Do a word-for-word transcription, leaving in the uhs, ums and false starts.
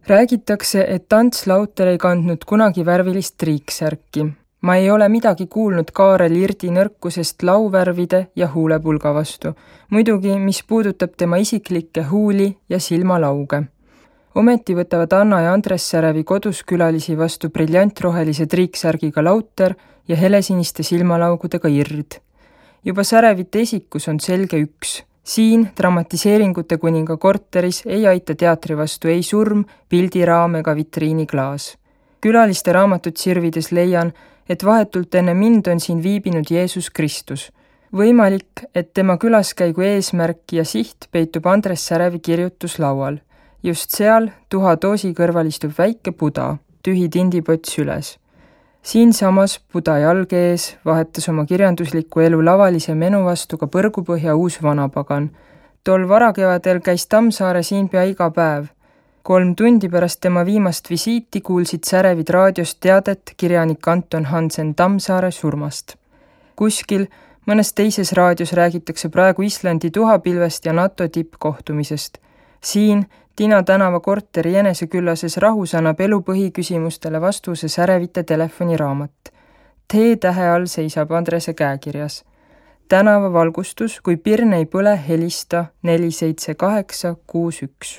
Räägitakse, et Ants Lauter ei kandnud kunagi värvilist triiksärki. Ma ei ole midagi kuulnud Kaarel Irdi nõrkusest lauvärvide ja huulepulga vastu, muidugi mis puudutab tema isiklikke huuli ja silmalauge. Ometi võtavad Anna ja Andres Särevi kodus külalisi vastu briljantrohelise triiksärgiga Lauter ja helesiniste silmalaugudega Ird. Juba Särevite esikus on selge üks. Siin dramatiseeringute kuninga korteris ei aita teatri vastu ei surm, pildiraam ega vitriiniklaas. Külaliste raamatut sirvides leian, et vahetult enne mind on siin viibinud Jeesus Kristus. Võimalik, et tema külaskäigu eesmärk ja siht peitub Andres Särevi kirjutuslaual. Just seal tuha doosi kõrval istub väike Buda, tühi tindipott süles. Siin samas Buda jalge ees vahetas oma kirjandusliku elu lavalise menu vastu ka Põrgupõhja uus vanapagan. Tol varakevadel käis Tammsaare siin pea iga päev. Kolm tundi pärast tema viimast visiiti kuulsid Särevid raadiost teadet kirjanik Anton Hansen Tammsaare surmast. Kuskil, mõnes teises raadios räägitakse praegu Islandi tuhapilvest ja NATO tippkohtumisest. Siin Tina tänava korteri eneseküllases rahus annab elu põhiküsimustele vastuse Särevite telefoniraamat. T-tähe all seisab Andrese käekirjas. Tänava valgustus, kui pirn ei põle, helista neli seitse kaheksa kuus üks.